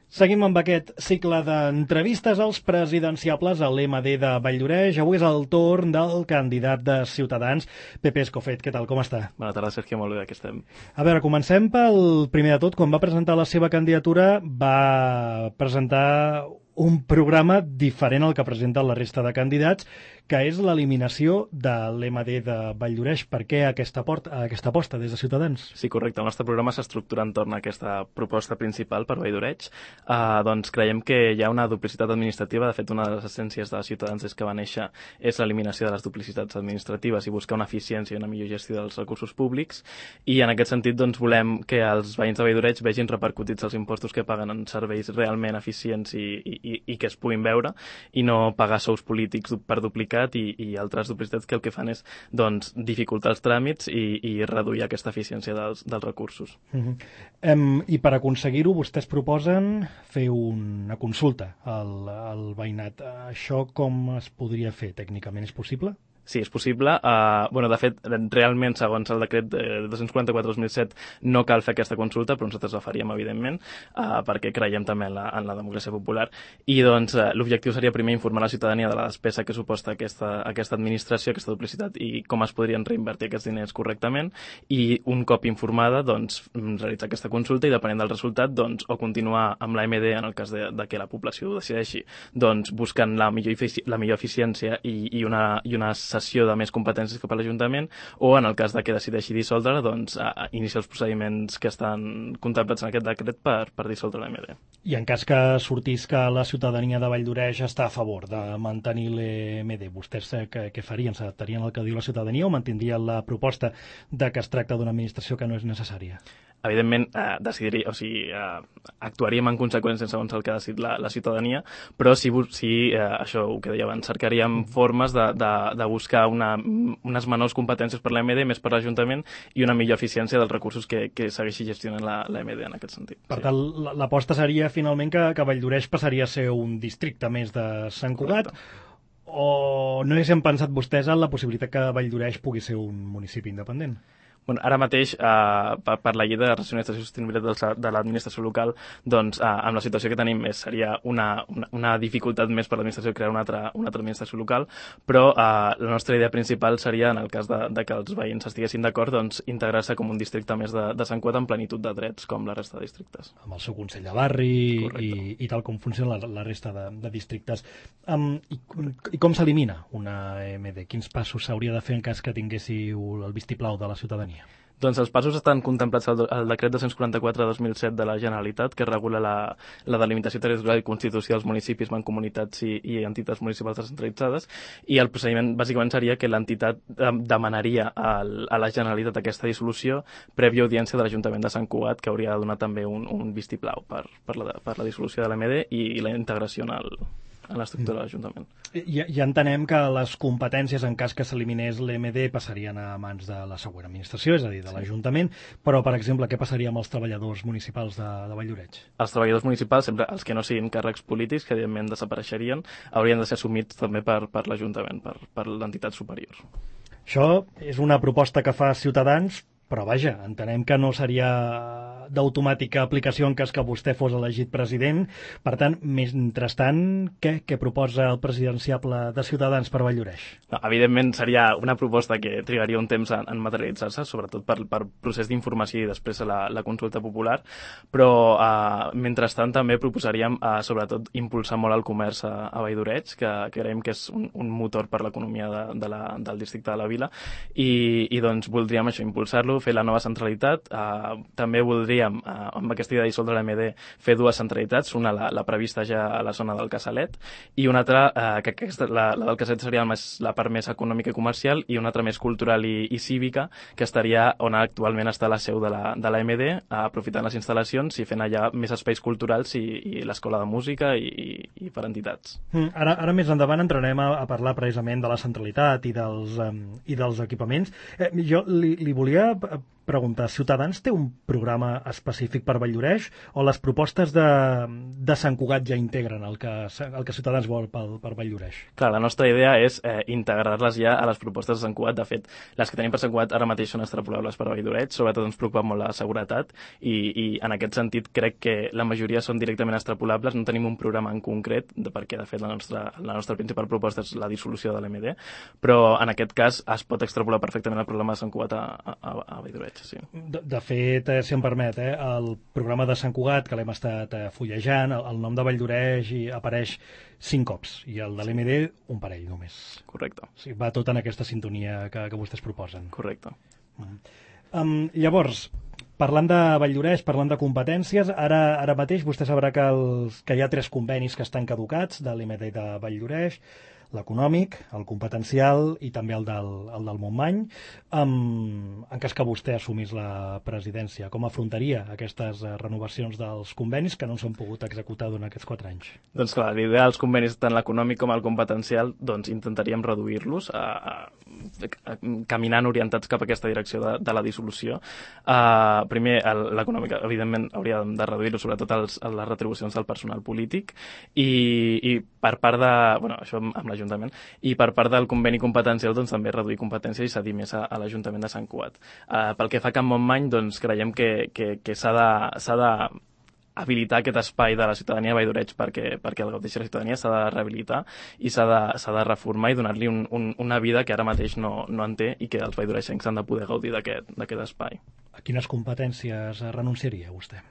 Seguim amb aquest cicle d'entrevistes als presidenciables a l'MD de Valldoreix. Avui és el torn del candidat de Ciutadans, Pepe Escofet. Què tal, com està? Bona tarda, Sergio, molt bé, aquí estem. A veure, comencem pel primer de tot. Quan va presentar la seva candidatura, va presentar un programa diferent al que presenta la resta de candidats, que és l'eliminació de l'MD de Valldoreix. Per què aquesta aposta des de Ciutadans? Sí, correcte. El nostre programa s'estructura entorn a aquesta proposta principal per Valldoreix. Doncs creiem que hi ha una duplicitat administrativa. De fet, una de les essències de Ciutadans és que va néixer és l'eliminació de les duplicitats administratives i buscar una eficiència i una millor gestió dels recursos públics. I en aquest sentit doncs, volem que els veïns de Valldoreix vegin repercutits els impostos que paguen en serveis realment eficients i que es puguin veure, i no pagar sous polítics per duplicat i altres duplicitats que el que fan és doncs, dificultar els tràmits i reduir aquesta eficiència dels recursos. I per aconseguir-ho vostès proposen fer una consulta al veïnat. Això com es podria fer? Tècnicament és possible? Sí, és possible. De fet, realment, segons el decret 244/2007, no cal fer aquesta consulta, però nosaltres la faríem, evidentment, perquè creiem també en la democràcia popular. I doncs, l'objectiu seria primer informar la ciutadania de la despesa que suposa aquesta administració, aquesta duplicitat, i com es podrien reinvertir aquests diners correctament. I un cop informada, doncs, realitzar aquesta consulta i, depenent del resultat, doncs, o continuar amb l'AMD en el cas de que la població ho decideixi, doncs, buscant la millor eficiència i una cessió de més competències cap a l'Ajuntament, o en el cas de que decideixi dissoldre, doncs iniciar els procediments que estan contemplats en aquest decret per dissoldre l'AMD. I en cas que sortís que la ciutadania de Valldoreix està a favor de mantenir l'AMD, vostès què farien? S'adaptarien al que diu la ciutadania o mantindrien la proposta de que es tracta d'una administració que no és necessària? Evidentment, actuaríem en conseqüència segons el que ha decidit la ciutadania, però sí, això ho que deia abans, cercaríem formes de buscar unes menors competències per l'AMD, més per l'Ajuntament, i una millor eficiència dels recursos que segueixi gestionant l'AMD en aquest sentit. Per tant, l'aposta seria finalment que Valldoreix passaria a ser un districte més de Sant Cugat. Correcte. O no haguessin pensat vostès en la possibilitat que Valldoreix pugui ser un municipi independent? Bueno, ara mateix, per la llei de racionalització i sostenibilitat de l'administració local, doncs, amb la situació que tenim seria una dificultat més per l'administració crear una altra administració local, però la nostra idea principal seria, en el cas de que els veïns estiguessin d'acord, doncs, integrar-se com un districte més de Sant Cugat en plenitud de drets, com la resta de districtes. Amb el seu consell de barri i tal com funciona la resta de districtes. I com s'elimina una AMD? Quins passos s'hauria de fer en cas que tinguéssiu el vistiplau de la ciutadania? Doncs els passos estan contemplats al decret 244/2007 de la Generalitat, que regula la delimitació territorial i constitució dels municipis, mancomunitats i entitats municipals descentralitzades, i el procediment bàsicament seria que l'entitat demanaria a la Generalitat aquesta dissolució prèvia audiència de l'Ajuntament de Sant Cugat, que hauria de donar també un vistiplau per la dissolució de l'AMD i la integració en l'estructura de l'Ajuntament. Ja entenem que les competències, en cas que s'eliminés l'EMD, passarien a mans de la següent administració, és a dir, de l'Ajuntament, però, per exemple, què passaria amb els treballadors municipals de Valldoreix? Els treballadors municipals, sempre els que no siguin càrrecs polítics, que evidentment desapareixerien, haurien de ser assumits també per l'Ajuntament, per l'entitat superior. Això és una proposta que fa Ciutadans, però vaja, entenem que no seria d'automàtica aplicació en cas que vostè fos elegit president. Per tant, mentrestant, què proposa el presidenciable de Ciutadans per Valldoreix? No, evidentment seria una proposta que trigaria un temps en materialitzar-se, sobretot per procés d'informació i després la consulta popular, però mentrestant també proposaríem sobretot impulsar molt el comerç a Valldoreix, que creiem que és un motor per l'economia del districte de la Vila, i doncs voldríem això, impulsar-lo, fer la nova centralitat. També voldríem, amb aquesta idea de dissoldre l'AMD, fer dues centralitats, una la prevista ja a la zona del Casalet, i una altra, la del Casalet seria la part més econòmica i comercial, i una altra més cultural i cívica, que estaria on actualment està la seu de l'AMD, aprofitant les instal·lacions i fent allà més espais culturals i l'escola de música i per entitats. Ara més endavant entrarem a parlar precisament de la centralitat i dels equipaments. Jo li volia preguntar, Ciutadans té un programa específic per Valldoreix o les propostes de Sant Cugat ja integren el que Ciutadans vol per Valldoreix? Clar, la nostra idea és integrar-les ja a les propostes de Sant Cugat. De fet, les que tenim per Sant Cugat ara mateix són extrapolables per Valldoreix, sobretot ens preocupa molt la seguretat i en aquest sentit crec que la majoria són directament extrapolables, no tenim un programa en concret, perquè de fet la nostra principal proposta és la dissolució de l'MD, però en aquest cas es pot extrapolar perfectament el problema de Sant Cugat a Valldoreix, sí. De fet, si em permet, el programa de Sant Cugat, que l'hem estat fullejant, el nom de Valldoreix apareix 5 cops, i el de l'MD un parell només. Correcte. O sigui, va tot en aquesta sintonia que vostès proposen. Correcte. Llavors, parlant de Valldoreix, parlant de competències, ara mateix vostè sabrà que hi ha 3 convenis que estan caducats de l'MD de Valldoreix, l'econòmic, el competencial i també el del Montmany. En cas que vostè assumís la presidència, com afrontaria aquestes renovacions dels convenis que no s'han pogut executar durant aquests 4 anys? Doncs clar, l'idea dels convenis, tant l'econòmic com el competencial, doncs intentaríem reduir-los, caminant orientats cap a aquesta direcció de la dissolució. Primer, l'econòmic, evidentment, hauria de reduir-ho, sobretot les retribucions del personal polític, i per part de... Bueno, això amb l'Ajuntament, i per part del conveni competencial doncs, també reduir competències i cedir més a l'Ajuntament de Sant Cugat. Pel que fa a Can Montmany, doncs, creiem que s'ha de habilitar aquest espai de la ciutadania de Valldoreix perquè el gaudeixi la ciutadania, s'ha de rehabilitar i s'ha de reformar i donar-li una vida que ara mateix no en té i que els valldoreixencs han de poder gaudir d'aquest espai. A quines competències renunciaria vostè?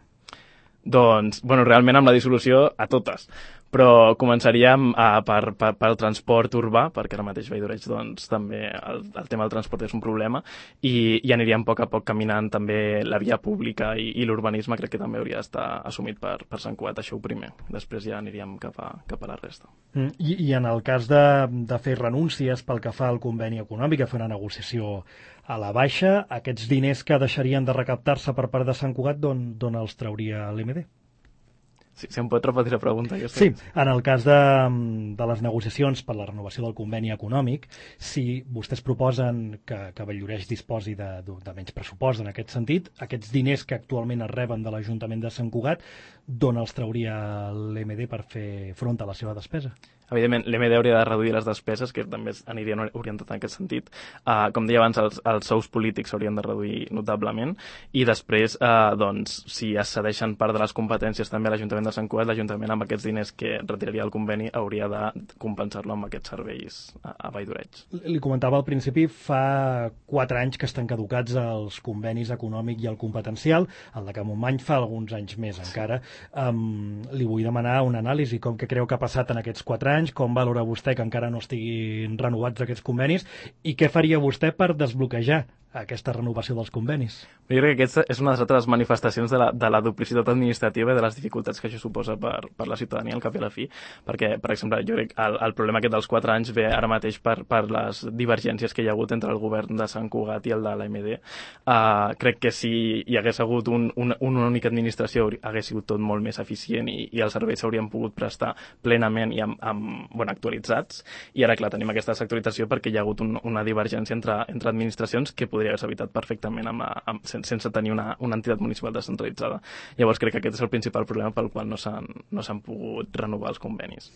Doncs, realment amb la dissolució a totes, però començaríem pel transport urbà, perquè ara mateix Valldoreix doncs, també el tema del transport és un problema, i aniríem a poc a poc caminant també la via pública i l'urbanisme crec que també hauria d'estar assumit per Sant Cugat, això ho primer. Després ja aniríem cap a la resta. I en el cas de fer renúncies pel que fa al conveni econòmic, a fer una negociació a la baixa, aquests diners que deixarien de recaptar-se per part de Sant Cugat, d'on els trauria l'MD? Sí, si em pot repetir la pregunta. Sí, en el cas de les negociacions per la renovació del conveni econòmic, si vostès proposen que Valldoreix disposi de menys pressupost en aquest sentit, aquests diners que actualment es reben de l'Ajuntament de Sant Cugat, d'on els trauria l'MD per fer front a la seva despesa? Evidentment, l'MD hauria de reduir les despeses, que també anirien orientat en aquest sentit. Com deia abans, els sous polítics s'haurien de reduir notablement i després, doncs, si es cedeixen part de les competències també a l'Ajuntament de Sant Cugat, l'Ajuntament amb aquests diners que retiraria el conveni hauria de compensar-lo amb aquests serveis a Valldoreix. Li comentava al principi, fa 4 anys que estan caducats els convenis econòmic i el competencial, el de Can Montmany fa alguns anys més encara. Li vull demanar una anàlisi, com que creu que ha passat en aquests 4 anys, com valora vostè que encara no estiguin renovats aquests convenis i què faria vostè per desbloquejar aquesta renovació dels convenis? Jo crec que aquesta és una de les altres manifestacions de la duplicitat administrativa i de les dificultats que això suposa per la ciutadania al cap i a la fi, perquè, per exemple, jo crec que el problema aquest dels 4 anys ve ara mateix per les divergències que hi ha hagut entre el govern de Sant Cugat i el de l'AMD. Crec que si hi hagués hagut una única administració hagués sigut tot molt més eficient i els serveis s'haurien pogut prestar plenament i actualitzats, i ara, clar, tenim aquesta sectorització perquè hi ha hagut una divergència entre administracions que podria haver-se evitat perfectament sense tenir una entitat municipal descentralitzada. Llavors crec que aquest és el principal problema pel qual no s'han pogut renovar els convenis.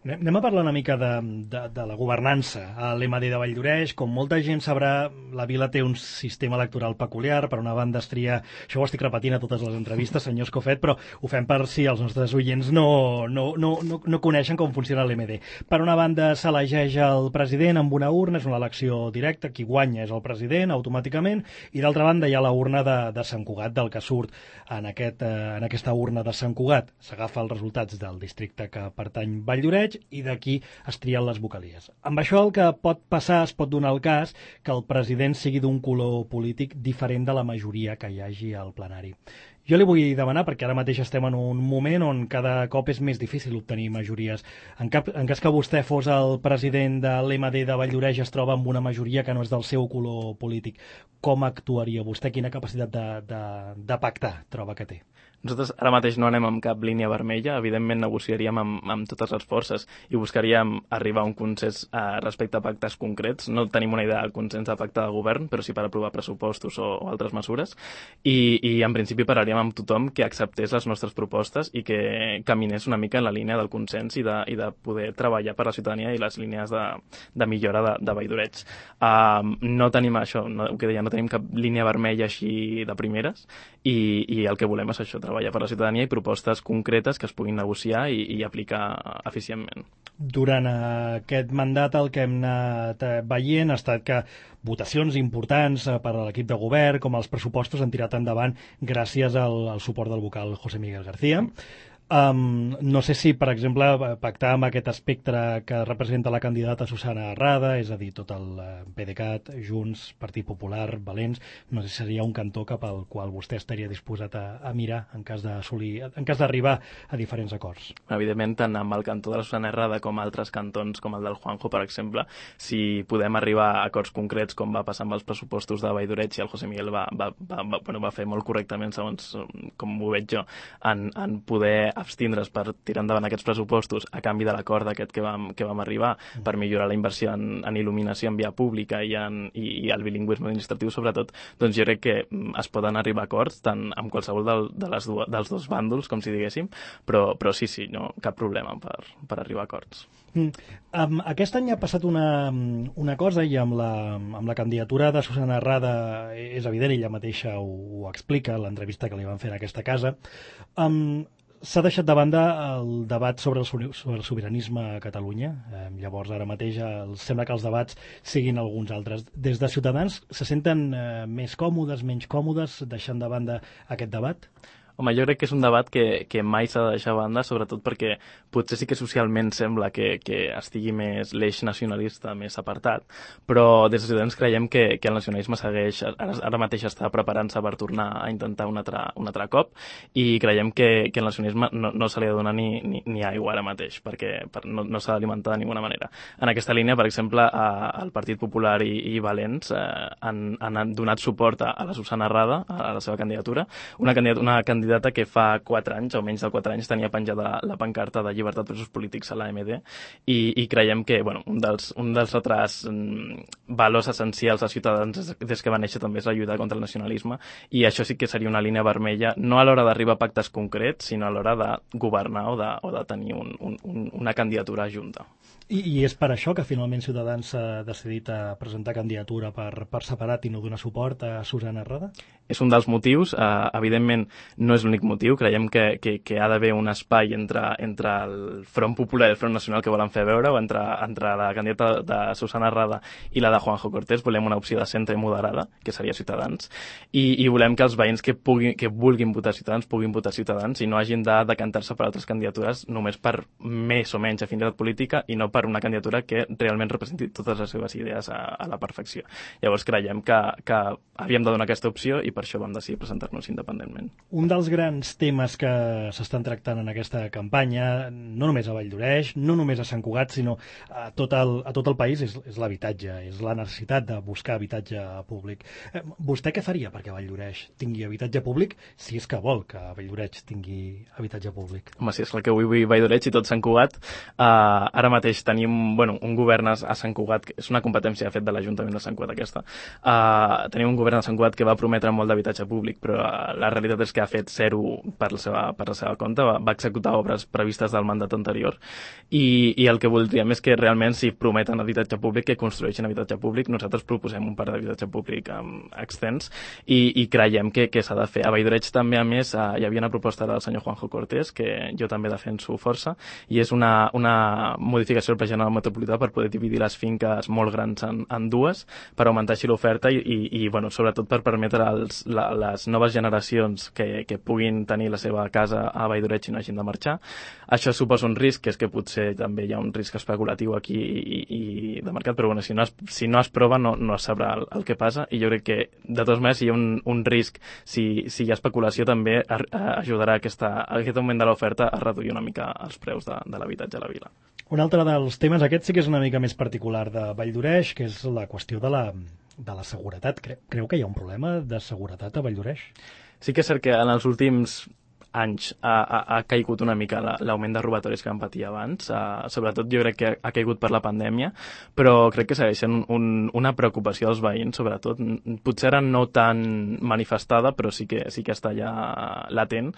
Anem a parlar una mica de la governança a l'MD de Valldoreix. Com molta gent sabrà, la vila té un sistema electoral peculiar. Per una banda es tria, això ho estic repetint a totes les entrevistes, senyor Escofet, però ho fem per si els nostres oients no coneixen com funciona l'MD. Per una banda s'elegeix el president amb una urna, és una elecció directa, qui guanya és el president automàticament, i d'altra banda hi ha la urna de Sant Cugat, del que surt en aquesta urna de Sant Cugat. S'agafa els resultats del districte que pertany Valldoreix i d'aquí es trien les vocalies. Amb això el que pot passar, es pot donar el cas que el president sigui d'un color polític diferent de la majoria que hi hagi al plenari. Jo li vull demanar, perquè ara mateix estem en un moment on cada cop és més difícil obtenir majories. En cas que vostè fos el president de l'MD de Valldoreix, es troba amb una majoria que no és del seu color polític. Com actuaria vostè? Quina capacitat de pactar troba que té? Nosaltres ara mateix no anem amb cap línia vermella, evidentment negociaríem amb totes les forces i buscaríem arribar a un consens respecte a pactes concrets. No tenim una idea de consens de pacte de govern, però sí per aprovar pressupostos o altres mesures, i en principi parlaríem amb tothom que acceptés les nostres propostes i que caminés una mica en la línia del consens i de poder treballar per la ciutadania i les línies de millora de Valldoreig. No tenim això, ho que deia, no tenim cap línia vermella així de primeres i el que volem és això, treballar per la ciutadania i propostes concretes que es puguin negociar i aplicar eficientment. Durant aquest mandat el que hem anat veient ha estat que votacions importants per a l'equip de govern, com els pressupostos, han tirat endavant gràcies al suport del vocal José Miguel García. No sé si, per exemple, pactar amb aquest espectre que representa la candidata Susana Arrada, és a dir, tot el PDeCAT, Junts, Partit Popular, Valents, no sé si seria un cantó cap al qual vostè estaria disposat a mirar en cas d'arribar a diferents acords. Evidentment, tant amb el cantó de la Susana Arrada com altres cantons, com el del Juanjo, per exemple, si podem arribar a acords concrets, com va passar amb els pressupostos de Valldoreig, i el José Miguel va fer molt correctament, segons com ho veig jo, en poder abstindre's per tirar endavant aquests pressupostos a canvi de l'acord aquest que vam arribar per millorar la inversió en il·luminació en via pública i el bilingüisme administratiu, sobretot, doncs jo crec que es poden arribar a acords tant amb qualsevol dels dos bàndols, com si diguéssim, però sí, no, cap problema per arribar a acords. Aquest any ha passat una cosa, i amb la candidatura de Susana Arrada és evident, ella mateixa ho explica en l'entrevista que li van fer en aquesta casa. S'ha deixat de banda el debat sobre el sobiranisme a Catalunya. Llavors, ara mateix, sembla que els debats siguin alguns altres. Des de Ciutadans, se senten més còmodes, menys còmodes, deixant de banda aquest debat? Home, jo crec que és un debat que mai s'ha de deixar a banda, sobretot perquè potser sí que socialment sembla que estigui més l'eix nacionalista més apartat, però des de Ciutadans creiem que el nacionalisme segueix, ara mateix està preparant-se per tornar a intentar un altre cop, i creiem que el nacionalisme no se li ha de donar ni aigua ara mateix, perquè no s'ha d'alimentar de ninguna manera. En aquesta línia, per exemple, el Partit Popular i Valents han donat suport a la Susana Arrada, a la seva candidatura, una candidata que fa 4 anys, o menys de 4 anys, tenia penjada la pancarta de llibertat presos polítics a l'AMD, i creiem que un dels altres valors essencials als ciutadans des que va néixer també és la lluita contra el nacionalisme, i això sí que seria una línia vermella, no a l'hora d'arribar a pactes concrets, sinó a l'hora de governar o de tenir una candidatura junta. I és per això que finalment Ciutadans s'ha decidit a presentar candidatura per separat i no donar suport a Susana Arrada? És un dels motius, evidentment no és l'únic motiu, creiem que ha d'haver un espai entre el Front Popular i el Front Nacional que volen fer veure, o entre la candidata de Susana Arrada i la de Juanjo Cortés. Volem una opció de centre i moderada, que seria Ciutadans, i volem que els veïns que vulguin votar Ciutadans puguin votar Ciutadans i no hagin de decantar-se per altres candidatures només per més o menys afinitat política i no per una candidatura que realment representi totes les seves idees a la perfecció. Llavors creiem que havíem de donar aquesta opció i per això vam decidir presentar-nos independentment. Un dels grans temes que s'estan tractant en aquesta campanya, no només a Valldoreig, no només a Sant Cugat, sinó a tot el país, és l'habitatge, és la necessitat de buscar habitatge públic. Vostè què faria perquè Valldoreig tingui habitatge públic, si és que vol que Valldoreig tingui habitatge públic? Home, si és el que vull Valldoreig i tot Sant Cugat, ara mateix tenim un govern a Sant Cugat, que és una competència de fet de l'Ajuntament de Sant Cugat aquesta. Tenim un govern a Sant Cugat que va prometre molt d'habitatge públic, però la realitat és que ha fet zero per la seva compte, va executar obres previstes del mandat anterior, i el que voldríem és que realment, si prometen habitatge públic, que construeixin habitatge públic. Nosaltres proposem un parc d'habitatge públic extens i creiem que s'ha de fer. A Valldoreig també, a més, hi havia una proposta del senyor Juanjo Cortés, que jo també defenso força, i és una modificació del Pla General Metropolità per poder dividir les finques molt grans en dues, per augmentar així l'oferta i sobretot per permetre les noves generacions que puguin tenir la seva casa a Valldoreig i no hagin de marxar. Això suposa un risc, que és que potser també hi ha un risc especulatiu aquí i de mercat, però si no es prova no es sabrà el que passa, i jo crec que de totes maneres si hi ha un risc, si hi ha especulació, també ajudarà aquest augment de l'oferta a reduir una mica els preus de l'habitatge a la vila. Un altre dels temes, aquest sí que és una mica més particular de Valldoreig, que és la qüestió de la seguretat. Creu que hi ha un problema de seguretat a Valldoreig? Sí que és cert que en els últims anys ha caigut una mica l'augment de robatoris que vam patir abans. Sobretot jo crec que ha caigut per la pandèmia, però crec que segueix sent una preocupació dels veïns, sobretot. Potser ara no tan manifestada, però sí que està allà latent.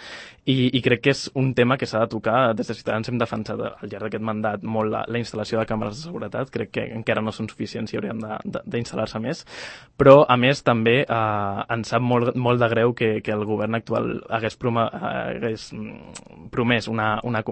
I crec que és un tema que s'ha de tocar. Des de Ciutadans hem defensat al llarg d'aquest mandat molt la instal·lació de càmeres de seguretat. Crec que encara no són suficients i haurien d'instal·lar-se més. Però, a més, també ens sap molt de greu que el govern actual hagués promès una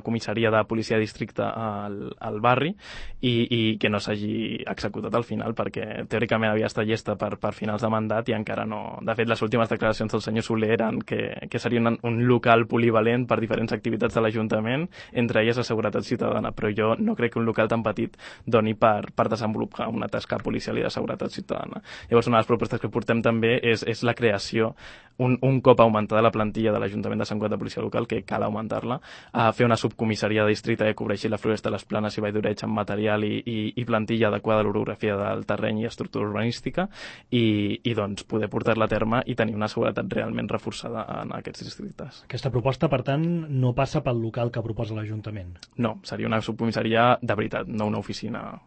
comissaria de policia de districte al barri i que no s'hagi executat al final, perquè teòricament havia estat llesta per finals de mandat i encara no. De fet, les últimes declaracions del senyor Soler eren que seria un local polivalent per diferents activitats de l'Ajuntament, entre elles la seguretat ciutadana, però jo no crec que un local tan petit doni per desenvolupar una tasca policial i de seguretat ciutadana. Llavors, una de les propostes que portem també és la creació, un cop augmentada la plantilla de l'Ajuntament de Sant Cugat de Policia Local, que cal augmentar-la, a fer una subcomissaria de districte que cobreixi la Floresta, les Planes i Valldoreig amb material i plantilla adequada a l'orografia del terreny i estructura urbanística i doncs poder portar-la a terme i tenir una seguretat realment reforçada en aquests districtes. Aquesta proposta, per tant, no passa pel local que proposa l'Ajuntament? No, seria una subcomissaria de veritat, no una oficina.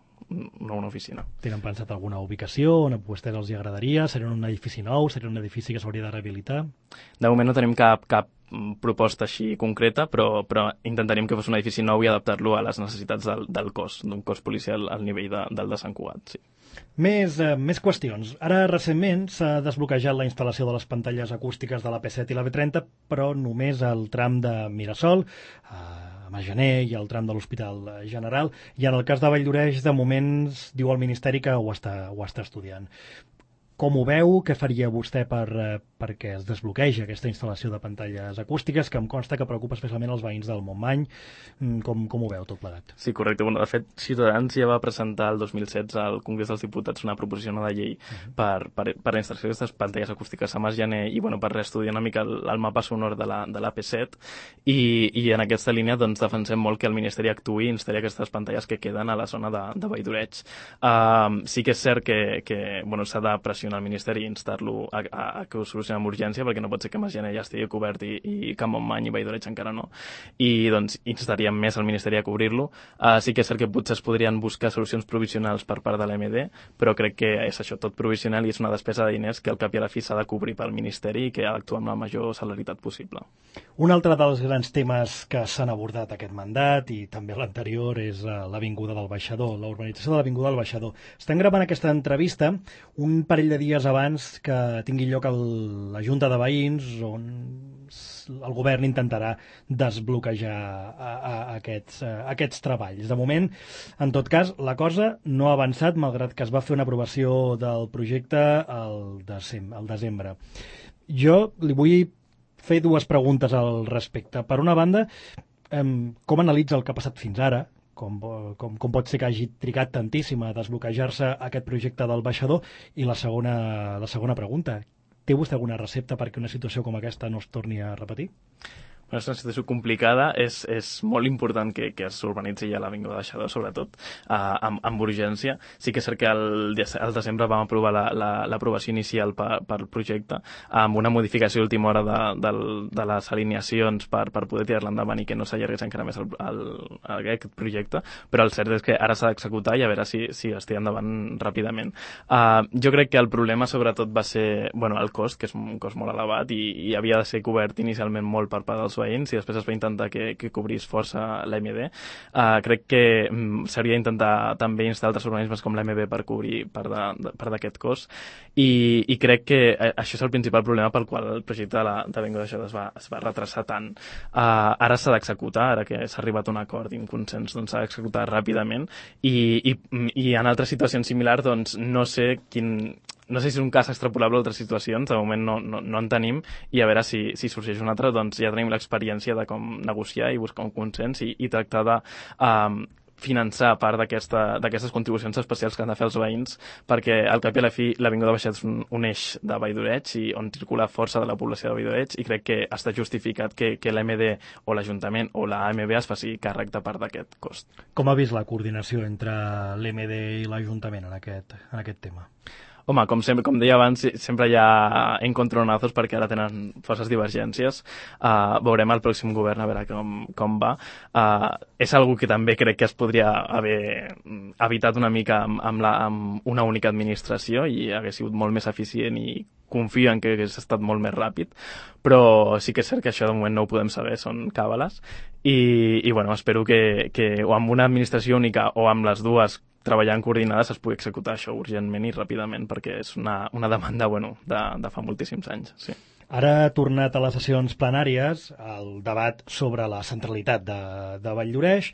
Tenen pensat alguna ubicació on a vostès els agradaria? Seria un edifici nou? Seria un edifici que s'hauria de rehabilitar? De moment no tenim cap proposta així concreta, però intentaríem que fos un edifici nou i adaptar-lo a les necessitats del cos, d'un cos policial al nivell del de Sant Cugat, sí. Més qüestions. Ara, recentment, s'ha desbloquejat la instal·lació de les pantalles acústiques de la P7 i la B30, però només al tram de Mirasol, a Magener i al tram de l'Hospital General, i en el cas de Valldoreig, de moment, diu el Ministeri que ho està estudiant. Com ho veu? Què faria vostè perquè es desbloquegi aquesta instal·lació de pantalles acústiques, que em consta que preocupa especialment els veïns del Montmany? Com ho veu tot plegat? Sí, correcte. Bueno, de fet, Ciutadans ja va presentar el 2016 al Congrés dels Diputats una proposició de llei per la instal·lació d'aquestes pantalles acústiques a Magener i per reestudiar una mica el mapa sonor de la P7 i en aquesta línia doncs, defensem molt que el Ministeri actuï i instal·li aquestes pantalles que queden a la zona de Valldoreig. Sí que és cert que s'ha de pressionar al Ministeri i instar-lo a que ho solucioni amb urgència, perquè no pot ser que Magener ja estigui cobert i que Montmany i Valldoreig encara no. I doncs instaríem més al Ministeri a cobrir-lo. Sí que és cert que potser es podrien buscar solucions provisionals per part de l'AMD, però crec que és això, tot provisional i és una despesa de diners que al cap i a la fi s'ha de cobrir pel Ministeri i que ha d'actuar amb la major celeritat possible. Un altre dels grans temes que s'han abordat aquest mandat i també l'anterior és l'Avinguda del Baixador, la urbanització de l'Avinguda del Baixador. Estem gravant aquesta entrevista un parell de dies abans que tingui lloc la Junta de Veïns on el govern intentarà desbloquejar aquests treballs. De moment, en tot cas, la cosa no ha avançat, malgrat que es va fer una aprovació del projecte al desembre. Jo li vull fer dues preguntes al respecte. Per una banda, com analitza el que ha passat fins ara? Com pot ser que hagi trigat tantíssim a desbloquejar-se aquest projecte del baixador? I la segona pregunta, té vostè alguna recepta perquè una situació com aquesta no es torni a repetir? És una situació complicada, és molt important que s'urbanitzi ja l'Avinguda del Baixador, sobretot amb urgència. Sí que és cert que al desembre vam aprovar l'aprovació inicial pel projecte amb una modificació d'última hora de les alineacions per poder tirar-la endavant i que no s'allargués encara més aquest projecte, però el cert és que ara s'ha d'executar i a veure si es tira endavant ràpidament. Jo crec que el problema sobretot va ser el cost, que és un cost molt elevat i havia de ser cobert inicialment molt per part dels veïns i després es va intentar que cobrís força l'AMD. Crec que s'hauria d'intentar també instar altres organismes com l'AMB per cobrir part d'aquest cost i crec que això és el principal problema pel qual el projecte de l'Avinguda del Baixador es va retrasar tant. Ara s'ha d'executar, ara que s'ha arribat a un acord i un consens, doncs s'ha d'executar ràpidament i en altres situacions similars doncs no sé si és un cas extrapolable a altres situacions, de moment no en tenim, i a veure si sorgeix un altre, doncs ja tenim l'experiència de com negociar i buscar un consens i tractar de finançar part d'aquestes contribucions especials que han de fer els veïns, perquè al cap i a la fi l'Avinguda Baixador és un eix de Valldoreig i on circula força de la població de Valldoreig i crec que està justificat que l'AMD o l'Ajuntament o l'AMB es faci càrrec de part d'aquest cost. Com ha vist la coordinació entre l'AMD i l'Ajuntament en aquest tema? Home, com deia abans, sempre hi ha encontronazos perquè ara tenen forces divergències. Veurem el pròxim govern a veure com va. És algo que també crec que es podria haver evitat una mica amb una única administració i hagués sigut molt més eficient i confio en que hagués estat molt més ràpid, però sí que és cert que això de moment no ho podem saber, són càbales, i bueno, espero que o amb una administració única o amb les dues treballant coordinades es pugui executar això urgentment i ràpidament, perquè és una demanda de fa moltíssims anys. Sí. Ara ha tornat a les sessions plenàries el debat sobre la centralitat de Vall-lloreix.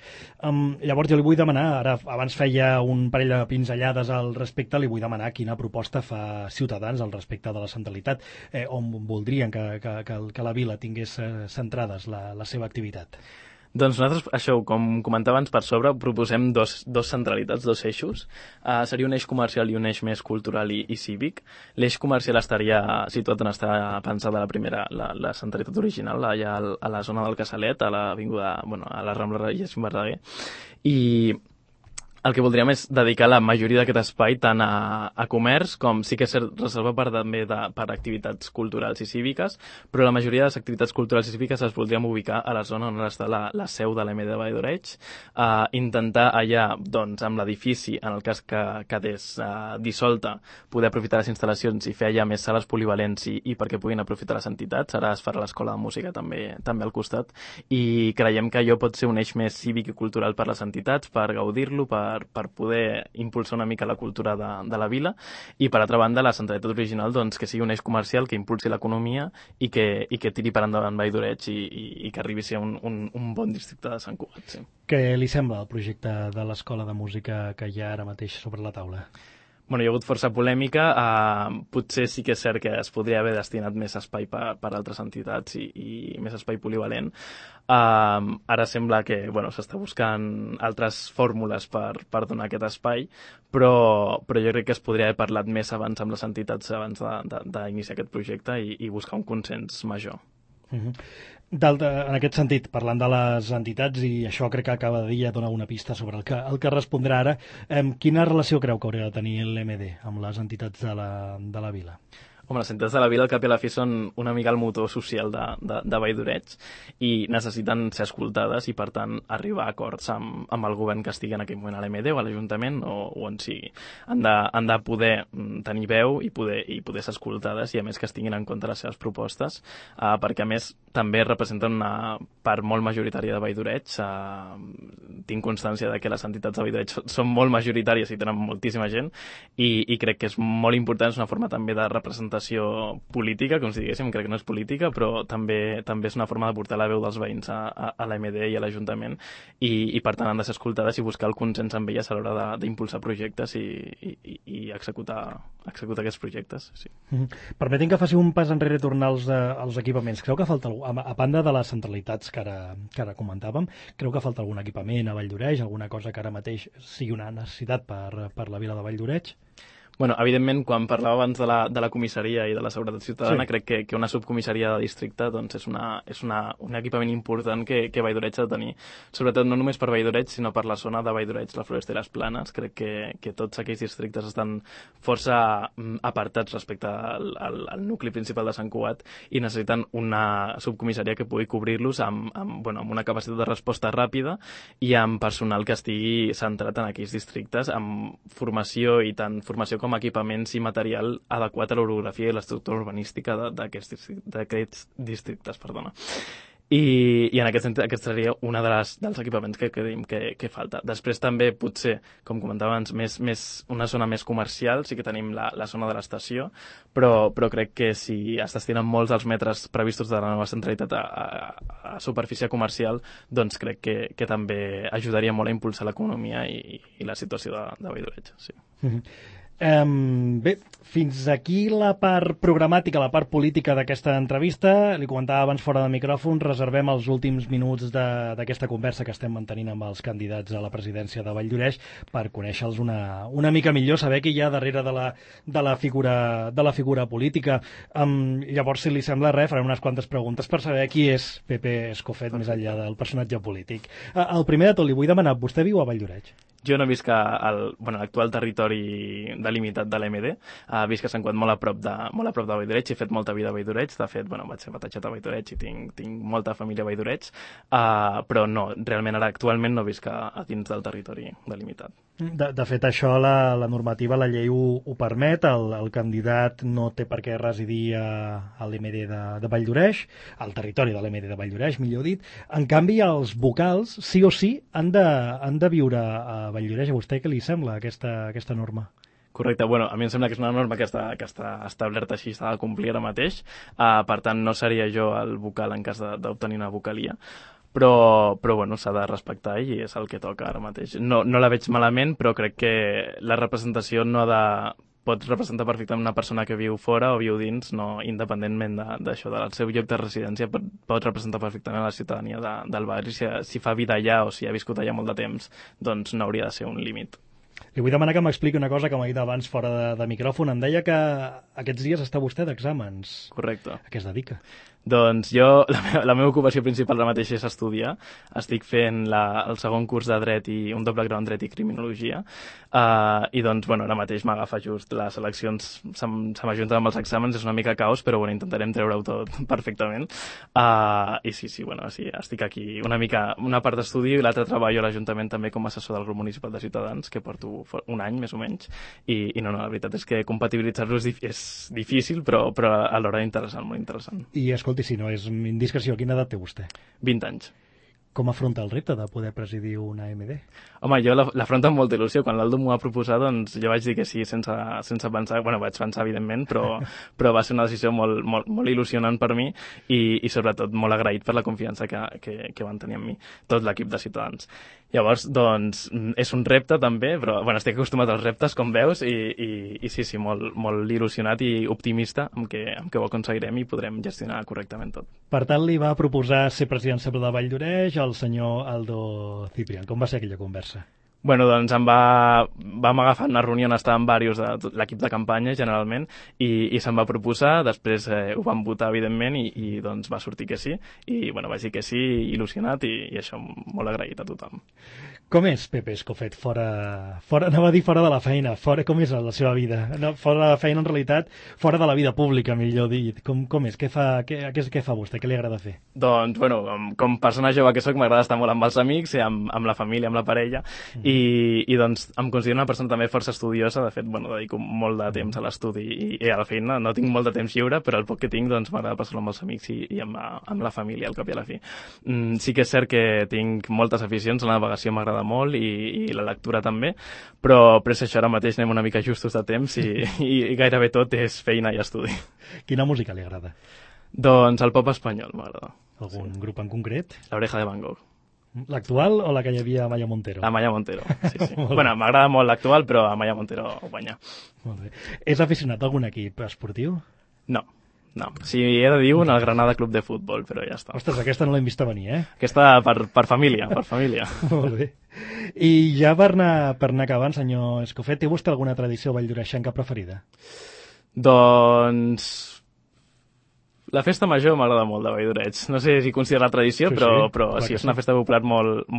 Llavors jo li vull demanar, ara abans feia un parell de pinzellades al respecte, li vull demanar quina proposta fa Ciutadans al respecte de la centralitat, on voldrien que la vila tingués centrades la seva activitat. Doncs nosaltres, això, com comentava abans per sobre, proposem dos centralitats, dos eixos. Seria un eix comercial i un eix més cultural i cívic. L'eix comercial estaria situat on està pensada la centralitat original, allà a la zona del Casalet, a l'avinguda, a la Rambla Regis Verdaguer. I el que voldríem és dedicar la majoria d'aquest espai tant a comerç com sí que és reservat també per activitats culturals i cíviques, però la majoria de les activitats culturals i cíviques les voldríem ubicar a la zona on està la seu de l'EMD de Vall-lloreix, intentar allà, doncs, amb l'edifici, en el cas que quedés dissolta, poder aprofitar les instal·lacions i fer allà més sales polivalents i perquè puguin aprofitar les entitats. Ara es farà l'escola de música també al costat, i creiem que allò pot ser un eix més cívic i cultural per les entitats, per gaudir-lo, per poder impulsar una mica la cultura de la vila, i per altra banda la centralitat original, doncs, que sigui un eix comercial que impulsi l'economia i que tiri per endavant Vall-lloreix i que arribi a ser un bon districte de Sant Cugat. Sí. Què li sembla el projecte de l'escola de música que hi ha ara mateix sobre la taula? Bueno, hi ha hagut força polèmica, potser sí que és cert que es podria haver destinat més espai per altres entitats i més espai polivalent. Ara sembla que s'està buscant altres fórmules per donar aquest espai, però jo crec que es podria haver parlat més abans amb les entitats abans d'iniciar aquest projecte i buscar un consens major. En aquest sentit, parlant de les entitats, i això crec que acaba de dir, ja dona una pista sobre el que respondrà ara, quina relació creu que hauria de tenir l'EMD amb les entitats de la vila? Home, les entitats de la vila, al cap i a la fi, són una mica el motor social de Vall-lloreix i necessiten ser escoltades i, per tant, arribar a acords amb el govern que estigui en aquell moment a l'EMD o a l'Ajuntament o on sigui. Han de poder tenir veu i poder ser escoltades i, a més, que es tinguin en compte les seves propostes, perquè, a més, també representen una part molt majoritària de Vall-lloreix. Tinc constància de que les entitats de Vall-lloreix són molt majoritàries i tenen moltíssima gent i crec que és molt important, és una forma també de representació política, com si diguéssim, crec que no és política, però també és una forma de portar la veu dels veïns a l'EMD i a l'Ajuntament i per tant han de ser escoltades i buscar el consens amb elles a l'hora d'impulsar projectes i executar aquests projectes. Sí. Permetin que faci un pas enrere i tornar als equipaments. Creu que falta, a banda de les centralitats que ara comentàvem, creu que falta algun equipament a Vall-lloreix, alguna cosa que ara mateix sigui una necessitat per la vila de Vall-lloreix? Bueno, evidentment, quan parlava abans de la comissaria i de la seguretat ciutadana, sí. Crec que una subcomissaria de districte doncs, és un equipament important que Vall-lloreix ha de tenir. Sobretot no només per Vall-lloreix, sinó per la zona de Vall-lloreix, la Floresta i les Planes. Crec que tots aquells districtes estan força apartats respecte al nucli principal de Sant Cugat i necessiten una subcomissaria que pugui cobrir-los amb una capacitat de resposta ràpida i amb personal que estigui centrat en aquells districtes, amb formació i tant formació com equipaments i material adequat a l'orografia i l'estructura urbanística d'aquests districtes. I en aquest sentit, aquest seria un dels equipaments que creiem que falta. Després també, potser, com comentava abans, una zona més comercial, sí que tenim la zona de l'estació, però crec que si es destinen molts dels metres previstos de la nova centralitat a superfície comercial, doncs crec que també ajudaria molt a impulsar l'economia i la situació de Vall-lloreix. Sí. Bé, fins aquí la part programàtica, la part política d'aquesta entrevista. Li comentava abans fora de micròfon, reservem els últims minuts d'aquesta conversa que estem mantenint amb els candidats a la presidència de Vall-lloreix per conèixer-los una mica millor, saber què hi ha darrere de la figura política. Llavors, si li sembla res, farem unes quantes preguntes per saber qui és Pepe Escofet més enllà del personatge polític. El primer de tot, li vull demanar, vostè viu a Vall-lloreix? Jo no visc al l'actual territori delimitat de l'MD, visc a Sant Cugat molt a prop de Valldoreig, he fet molta vida a Valldoreig, de fet, vaig ser batejat a Valldoreig i tinc molta família a Valldoreig, però no, realment ara actualment no visc a dins del territori delimitat. De fet, això la normativa, la llei ho permet, el candidat no té per què residir a l'MD de Valldoreig, al territori de l'MD de Valldoreig, millor dit. En canvi, els vocals, sí o sí, han de viure a Valldoreig. A vostè què li sembla aquesta norma? Correcte, bueno, a mi em sembla que és una norma que està establerta així, s'ha de complir ara mateix, per tant no seria jo el vocal en cas d'obtenir una vocalia, però bueno, s'ha de respectar i és el que toca ara mateix. No la veig malament, però crec que la representació pot representar perfectament una persona que viu fora o viu dins, no, independentment d'això, del seu lloc de residència, pot representar perfectament la ciutadania del barri. Si fa vida allà o si ha viscut allà molt de temps, doncs no hauria de ser un límit. Li vull demanar que m'expliqui una cosa que m'ha dit abans fora de micròfon. Em deia que aquests dies està vostè d'exàmens. Correcte. A què es dedica? Doncs jo, la meva ocupació principal ara mateix és estudiar. Estic fent el segon curs de Dret i un doble grau en Dret i Criminologia. I doncs, bueno, ara mateix m'agafa just les eleccions, se m'ajunten amb els exàmens, és una mica caos, però bueno, intentarem treure-ho tot perfectament. I sí, bueno, sí, estic aquí una part d'estudi i l'altra treballo a l'Ajuntament també com a assessor del grup municipal de Ciutadans, que porto un any, més o menys, i no, la veritat és que compatibilitzar-lo és difícil, però alhora interessant, molt interessant. I escolti, si no és indiscreció, quina edat té vostè? 20 anys. Com afronta el repte de poder presidir una AMD? Home, jo l'afronto amb molta il·lusió. Quan l'Aldo m'ho va proposar, doncs jo vaig dir que sí sense pensar. Bueno, vaig pensar, evidentment, però va ser una decisió molt il·lusionant per mi i sobretot molt agraït per la confiança que van tenir en mi, tot l'equip de Ciutadans. Llavors, doncs, és un repte també, però bueno, estic acostumat als reptes, com veus, i sí, molt il·lusionat i optimista amb que ho aconseguirem i podrem gestionar correctament tot. Per tant, li va proposar ser president sempre de Valldoreig el senyor Aldo Ciprián. Com va ser aquella conversa? Bueno, doncs vam agafar una reunió on estàvem diversos de l'equip de campanya, generalment, i se'm va proposar, després ho vam votar, evidentment, i doncs va sortir que sí, i bueno, vaig dir que sí, il·lusionat, i això molt agraït a tothom. Com és Pepe Escofet anava a dir fora de la feina, com és la seva vida? No, fora de la feina, en realitat, fora de la vida pública, millor dit. Com és? Què fa vostè? Què li agrada fer? Doncs, bueno, com persona jove que soc, m'agrada estar molt amb els amics, amb la família, amb la parella, i doncs em considero una persona també força estudiosa. De fet, bueno, dedico molt de temps a l'estudi i a la feina. No tinc molt de temps lliure, però el poc que tinc doncs m'agrada passar-lo amb els amics i amb la família, al cap i a la fi. Sí que és cert que tinc moltes aficions, la navegació m'agrada molt i la lectura també, però és això, ara mateix anem una mica justos de temps i gairebé tot és feina i estudi. Quina música li agrada? Doncs el pop espanyol m'agrada. Algun grup en concret? La Oreja de Van Gogh. L'actual o la que hi havia a Maya Montero? A Maya Montero, sí. Bueno, m'agrada molt l'actual, però a Maya Montero guanya. Molt bé. És aficionat a algun equip esportiu? No. Si he de dir un, el Granada Club de Futbol, però ja està. Ostres, aquesta no l'hem vista venir, eh? Aquesta per família, per família. Molt bé. I ja per anar acabant, senyor Escofet, té vostè alguna tradició valldoreixenca preferida? Doncs la festa major m'agrada molt de Valldoreig. No sé si considera tradició, però sí, és una festa popular molt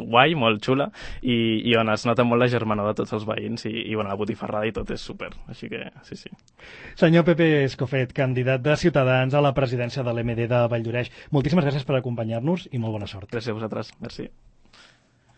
guai, molt xula, i on es nota molt la germanor de tots els veïns, i bueno, la botifarrada i tot és super, així que sí. Senyor Pepe Escofet, candidat de Ciutadans a la presidència de l'MD de Valldoreig, moltíssimes gràcies per acompanyar-nos i molt bona sort. Gràcies a vosaltres, merci.